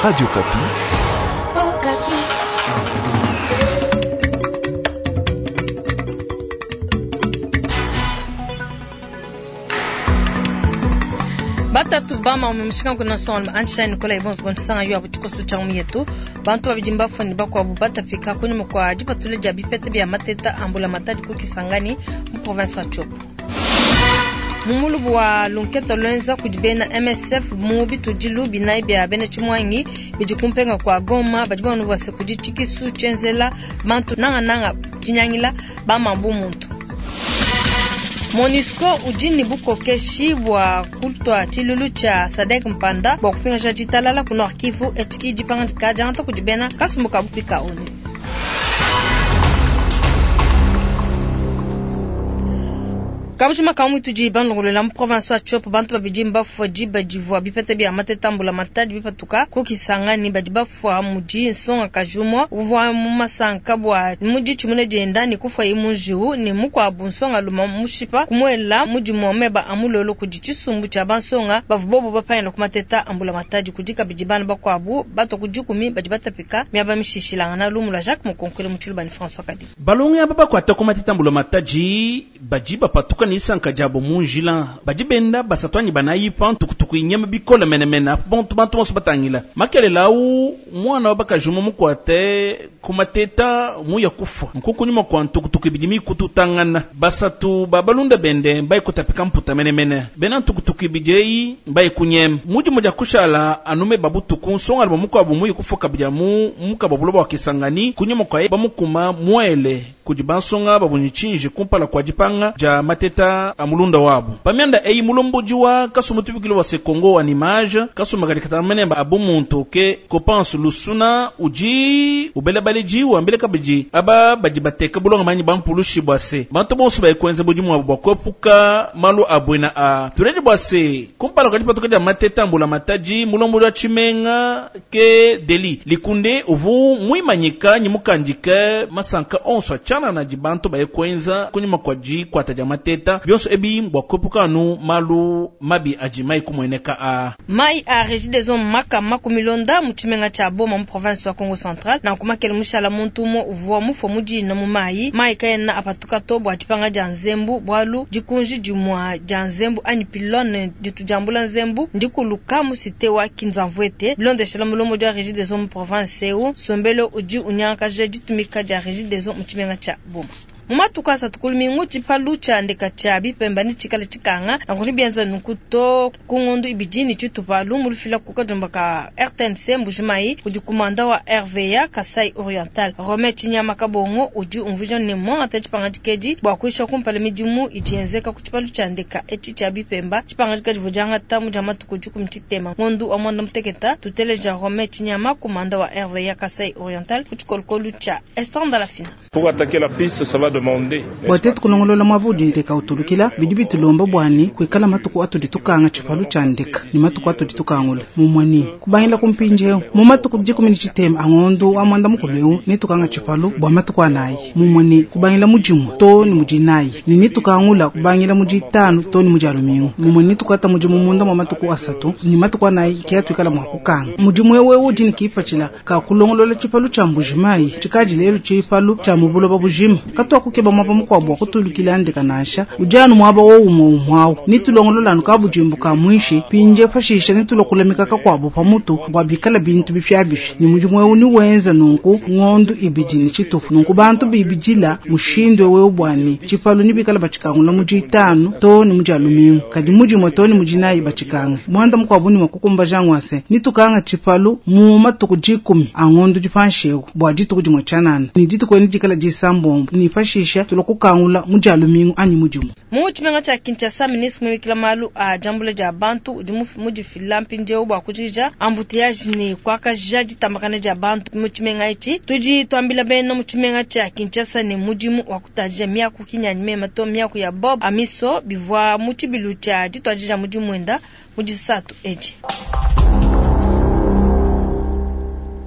Radio Okapi. Batatu bama mumushinga kuna son Einstein Nicolas Ibons Bonsanga yo abu tshikoso tshia mu yetu. Bantu babidi mbafua ne bakuabu batapika kunyima kua dipatula dia bipeta bia mateta a mbulamatadi ku Kisangani mu province wa Tshopo. Mu mulubu wa lunketa lwenza kudi bena MSF mu bitudilu binayi bia bena Tshimuangi bidi kumpenga kua Goma, badi bamona bua se kudi tshikisu tshienzela bantu nangananga tshinyangila bamambu muntu. MONUSCO udi ne bukokeshi bua kutua tshilulu tshia SADC Mpanda bua kupingaja ditalala ku Nord Kivu, etshi dipangadika diangata kudi bena kasumbu ka bupika ONU. Kabujima ka mu tudi bandongolola mu province wa Tshopo, bantu babidi mbafua diba divua bipeta bia mateta mbulamatadi bipatuka ku Kisangani. Badi bafua mudi nsonga kajumwa uvua mu masanka bua mudi tshimune dienda ne kufua mu njiwu, ne mukuabu nsonga luma mushipa kumuela mudimu wa meba a mulolo kudi tshisumbu tshia bansonga bavua bobo bapangila ku mateta a mbulamatadi. Kudi kabidi bana bakuabu batua ku dikumi badi batapika miaba mishishilangana. Lumu lua Jacques Mukonkole mu Tshiluba ne François Kadi. Balongi aba bakuata ku mateta mbulamatadi badi bapatuka ne isanka diabo mu njila, badi benda basatu anyi banayi pa ntukutuku inyama bikole menemene. Bantu bantu bonso batangila makelela au mwana wa bakaji umue mukuate ku mateta muya kufua nkuku nyuma kua ntukutuku ibidi mikututangana. Basatu ba balunda bende mbaye kutapika mputa menemene, bena ntukutuku ibidi eyi mbaye kunyema mudimu dia kushala anume babutuku. Nsonga lua mukuabu muye kufua kabidi mu mukaba buloba wa Kisangani kunyuma kwa bamukuma muele kudi bansonga babunyi tshinji kumpala kua dipanga dia mateta a mulunda wabu. Pamianda eyi mulombodi wa kasumbu tubikilo wa Sekongo wa nimage kasumbu kadi katamene abu muntu ke Kopansu Lusuna udi ubela baleji wambele kabidi aba badi bateka bulonga manyi bampulushi bua se bantu bonso bayikwenza budimu bwabu bua kuepuka malu abwena a tuleje bua se kumpala kua dipatuka dia mateta mbula matadi mulombodi wa tshimenga ke Deli Likunde uvu muimanyika nyi mukandike masanka onso achana na dibantu bayikwenza kunyuma kwa dikwata dia mateta bionso ebi bua kuepuka anu malu mabi adi mai kumueneka a mai a Regideso makama kumilonda mu tshimenga tshia Boma mu province wa Kongo Central. Na kumakele mushala muntu umue uvua mufue mudina mu mai mai kayena apatuka to bua dipanga dia nzembu bualu dikunji dimua dia nzembu anyi pylone ditu diambula nzembu ndikuluka mu cité wa Kinzamvuete. Bilondeshela mulomo dia Regideso mu province eu sombelo udi unyangakaja ditumika dia Regideso mu tshimenga tshia Boma. Mu matuku asatu kulumingu tshipalu tshia ndeka tshia bipemba ni tshikala tshikanga nankuni bienza nunku to ku ngondu ibidi ni tshitupa lumu lufila ku kajumba ka RTNC Mbujimayi udi kumanda wa RVA Kasai Oriental Romain Chinyama Kabongo udi umvuija ne mwangata tshipangadika edi bua kuisha kumpala midimu idi yenzeka ku tshipalu tshia ndeka etshi tshia bipemba. Tshipangadika divua diangata mu dia matuku dikumi tshitema ngondu wa mwanda muteketa. Tuteleja Romain Chinyama kumanda wa RVA Kasai Oriental ku tshikolokolo tshia Esther Ndalafina. Pour attaquer la piste, ça va demander. Bua tetu kulongolola mwavu udi ndeka utulukila bidi bitulomba bwani kuikala matuku atudi tukanga tshipalu tshia ndeka ni matuku atudi tukangula mumwani kubangila kumpinjeo mu matuku dikumi ni tshitema angondu wa mwanda mukulu eu ni tukanga tshipalu bua matuku anayi mumwani kubangila mudimu to ni mudinayi ni nitukangula kubangila muditanu to ni mudialumingu mumwani nitukata mudimu munda mwa matuku asatu ni matuku anayi kia tuikala mwa kukanga mudimu ewe udi ni kipatshila ka kulongolola tshipalu tshia Mbujimayi tshikadi lelu tshipalu tshia mubuloba bujima katwa kukeba mwaba mukuabu wa kutulukila ndeka nansha ujanu mwaba wo umwe umwawu nitulongolola nukabujimbu ka mwishi pinje pashisha nitulokulamika kakuabu pamutu bua bikala bintu bipyabipi ni mudimu ewu niwenza nunku ngondu ibidi ni tshitupu nunku bantu bibidila mushindu ewu bwani tshipalu nibikala batshikangula muditanu to ni mudialumingu kadi mudimue to ni mudinayi batshikanga mwanda mukuabu ni mwakukumba jangwase nitukanga tshipalu mu matuku dikumi angondu dipanshewu bua dituku dimue tshianana ni dituku eni dikala disambombo ni pashisha tulokukangula mudialumingu anyi mudimu. Mu tshimenga tshia Kinshasa, ministre muimikila malu a diambula dia bantu udi mudifila mpindieu bua kujikija embouteillage ne kuakaja ditambakana dia bantu mu tshimenga etshi. Tudi tuambila bena mu tshimenga tshia Kinshasa ne mudimu wa kutadija miaku kinyanyi mema to miaku ya Bob Amiso bivua mu tshibilu tshia dituadija mudimu wenda mu disatu edi.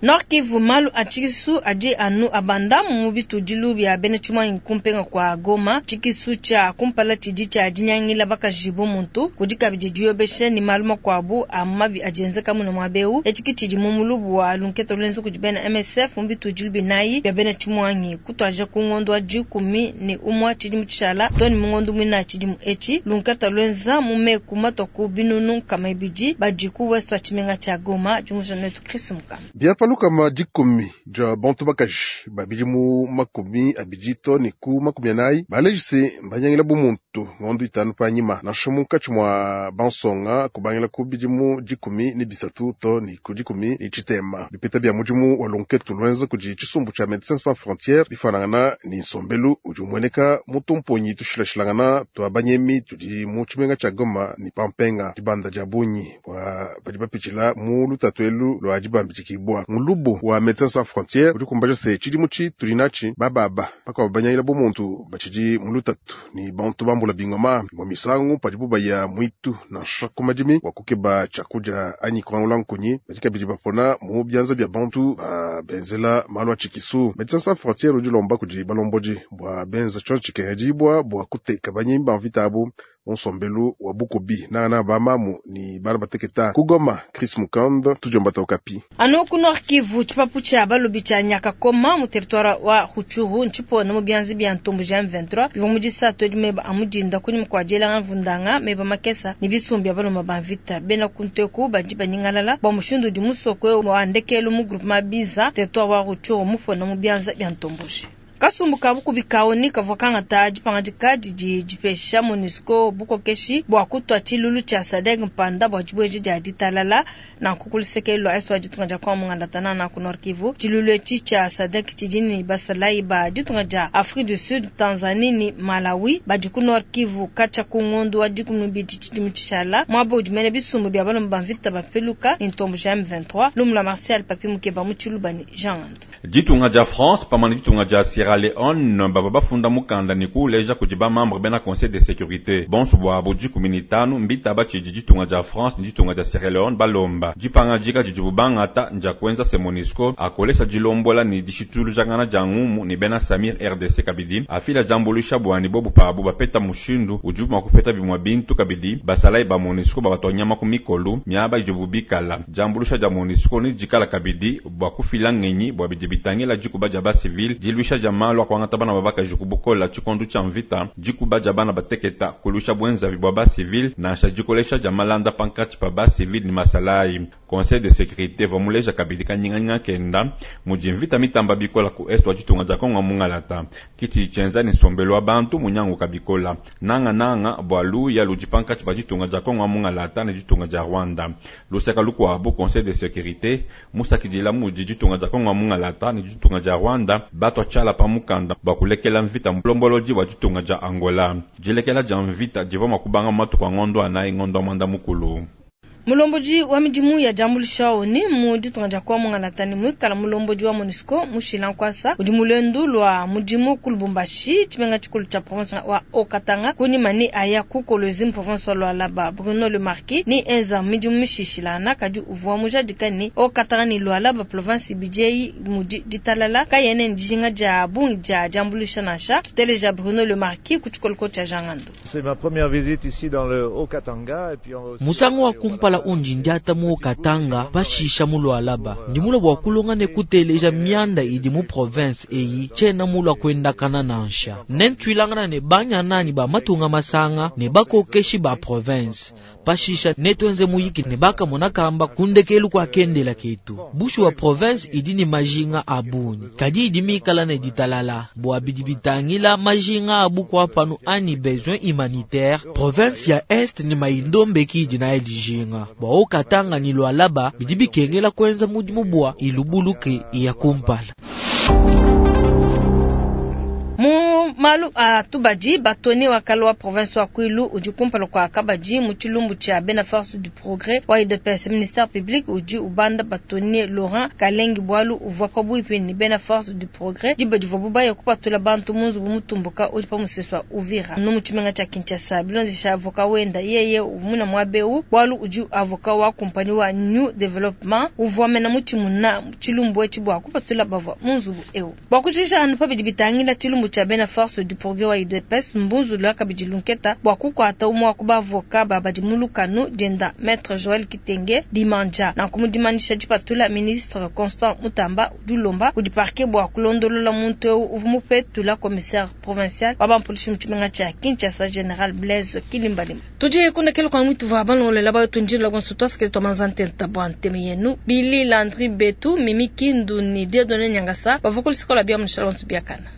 Nord Kivu, malu a tshikisu adi anu abanda mu bitudilu bia bena tshimuangi kumpenga kwa Goma. Tshikisu tshia kumpala tshidi tshia dinyangila bakaji bu muntu, kudi kabidi diyobesha ne malu makuabu a mabi adi enzeka muna muaba eu. Etshi ke tshidi mu mulubu wa lunketa luenza kudi bena MSF mu bitudilu binayi bia bena tshimuangi kutuadija ku ngondo wa 11 tshidimu tshishala too ne mu ngondo muinayi tshidimu etshi. Lunketa luenza mu meku matua ku binunu nkama ibidi badi ku ouest wa tshimenga tshia Goma. Diumvuija netu Chris Mukama. Bia pa lukama dikumi dia bantu bakaji ba bidimu 20 to ne ku 40 baleji se mbanyangila bu muntu ngondo 5 panyima nansha munkatshi mua bansonga kubangila ku bidimu 13 to ne ku 13. Bipeta bia mudimu wa lunketu luenza kudi tshisumbu tshia Médecins Sans Frontières bifanangana ne nsombelu udi umueneka mu tumponyi tushilashilangana tua banyemi tudi mu tshimenga tshia Goma ne pampenga dibanda dia bungi bua badi bapitshila mu lutatu elu lua dibambidikibwa. Mulubu wa Médecins Sans Frontières udi kumbaja se tshidimu tshi tudi natshi bababa bakuabu banyangila bu muntu batshidi mu lutatu ni bantu bambula bingoma mu misangu padibu baya mwitu nansha ku madimi wa kukeba tshiakudia anyi kuangula nkunyi badi kabidi bapona mu bianza bia bantu benzela malu a tshikisu. Médecins Sans Frontières udi lomba kudi balombodi bua benza tshionso tshikengedibua bua kuteka banyimi ba mvita abu nsombelu wa bukubi nangana bamamu ni bana bateketa kugoma. Chris Mukand tujombata Okapi. Anu ku Nord Kivu, tshipapu tshia balobi tshia Nyakakoma mu territoire wa Rutshuru ntshipona mu bianza bia ntombo ja M23 bivua mu disatu edi meba a mudinda kunyima kua dielanga mvundanga meba makesa ne bisumbu bia baloma ba mvita. Bena kunteku badi banyingalala bua mushindu udi musoko wa ndekelu mu groupement Biza territoire wa Rutshuru mupona mu bianza bia ntomboji. Kasumbu ka bukubi ka ONU kavua kangata dipangadika didi dipesha MONUSCO bukokeshi bua kutua tshilulu tshia SADC mpanda bua dibueja dia ditalala nanku ku luseke lua est wa ditunga dia Kongo mungandata na ku Nord Kivu. Tshilulu etshi tshia SADC tshidi ne basalayi ba ditunga dia Afrique du Sud, Tanzanie ne Malawi badi ku Nord Kivu katshia ku ngondo wa 12 tshidimu tshishala muaba udi mene bisumbu bia balomba ba mvita bapeluka ne ntombo ja M23. Lumu lua Martial Papi Mukeba mu Tshiluba ne Jean Ngando. Ditunga dia France pamwe ne ditunga dia Sierra Leone baba bafunda mukanda ne kuuleja kudi bamembre bena Conseil de sécurité bonso bwabo 15 mbitaba tshidi ditunga dia France ne ditunga dia Sierra Leone balomba dipangadika didibu bangata ndia kuenza se MONUSCO akolesha dilombola ne dishitulujangana dia ngumu ne bena Samir RDC kabidi afila diambuluisha bwani bobu pabu bapeta mushindu udibu mua kupeta bimua bintu kabidi basalayi ba MONUSCO babatwanyama ku mikolu miaba idibu bikala diambuluisha dia MONUSCO ne dikala kabidi bua kufila ngenyi bua bidi bitangila dikuba dia basivile diluisha dia malu akuangata bana babakaji kubukola tshikondu tshia mvita dikuba dia bana bateketa kulusha bwenzavi bua basivile nansha dikolesha dia malanda pankatshi pa basivile ne masalayi. Conseil de sécurité vamuleja kabidi kanyinganyinga kenda mudi mvita mitamba bikola ku est wa ditunga dia Kongo mungalata kiti tshienza ne nsombelu wa bantu munyangu kabikola nanga nanga bua luya ludi pankatshi pa ditunga dia Kongo mungalata ne ditunga dia Rwanda. Luseka lukuabu Conseil de sécurité musakidila mudi ditunga dia Kongo mungalata ne ditunga dia Rwanda batwa tshiala pa mukanda bua kulekela mvita mulombolodi wa ditunga dia Angola. Dilekela dia mvita divua mua kubanga matuku a ngondo anayi ngondo mwanda mukulu. Mulombodi wa midimu ya diambuluisha ONU mu ditunga dia Kongo mungalata ne muikala mulombodi wa MONUSCO Mushila Nkwasa udi mu lua mudimu ku Lubumbashi tshimenga tshikulu tshia province wa Haut-Katanga kunyima ne aya ku Kolwezi mu province wa Lualaba. Bruno Le Marquis ni enza midimu mishishilana kadi uvua mujadika ne Haut-Katanga ne Lualaba province ibidi mudi ditalala kayene dijinga dia bungi dia diambuluisha nansha. Tuteleja Bruno Le Marquis ku tshikoloko tshia Jangando. C'est ma première visite ici dans le Haut-Katanga et puis on va aussi Musango wa kumpala undi ndiata mu Katanga pashisha mu Lualaba ndimula bua kulonga ne kuteleja mianda idi mu province eyi tshiena mulua kuendakana nansha nentwilangana ne banyanani ba matunga masanga ne bakokeshi ba province pashisha netwenze muyiki ne bakamona kamba kundekelu kwa kendela ketu bushu wa province idi ni majinga abunyi kadi idi mikala ne ditalala bua bidi bitangila majinga abu kwa panu ani besoin humanitaire province ya est ni maindombe ki idi na dijinga bua Haut-Katanga ni Lualaba bidi bikengela kwenza mudimu bua ilubuluke iya kumpala. Mu Mu malu a tubadi, bâtonnier wa kale wa province wa Kwilu udi kumpala kua kabadi mu tshilumbu tshia bena Force du Progrès wa UDPS. Ministère public udi ubanda bâtonnier Laurent Kalengi bualu uvua pabuipi ne bena Force du Progrès diba divuabu baya kupatula bantu mu nzubu mutumbuka udi pa musesu wa Uvira nu mu tshimenga tshia Kinshasa. Bilondesha avocat wenda, yeye uvua muaba eu bualu udi avocat wa compagnie wa New Development uvua mena mutshimuna tshilumbu etshi bua kupatula bavua mu nzubu eu. Bua kujikija anu pa bidi bitangila tshilumbu tshia bena Force du Progrès wa UDPS, mbunzulula kabidi lunketa bua kukuata umue wa ku bavoka babadi mu lukanu dienda Maître Joël Kitenge Dimanja. Nanku mu dimanyisha dipatula, ministre Constant Mutamba udi ulomba kudi parquet bua kulondolola muntu eu uvua mupetula commissaire provincial wa bampolisi mu tshimenga tshia Kinshasa, Général Blaise Kilimbalimba. Tudi kundekela kwa mwitu va balongolela bayo bonso twasikile twa manzantenta bua nteme yenu Billy Landry Betu, Mimi Kindu ni Dieudonné Nyangasa bavua kulisikola bia mushala bonso biakana.